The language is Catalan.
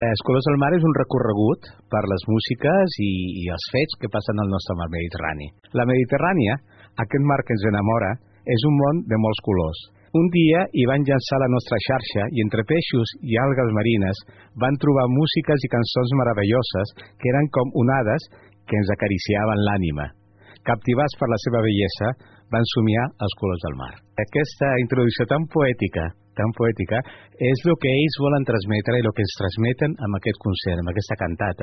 Els colors del mar és un recorregut per les músiques i els fets que passen al nostre mar Mediterrani. La Mediterrània, aquest mar que ens enamora, és un món de molts colors. Un dia hi van llançar la nostra xarxa i entre peixos i algues marines van trobar músiques i cançons meravelloses que eren com onades que ens acariciaven l'ànima. Captivats per la seva bellesa, van somiar els colors del mar. Aquesta introducció tan poètica, és el que ells volen transmetre i el que ens transmeten amb aquest concert, amb aquesta cantata.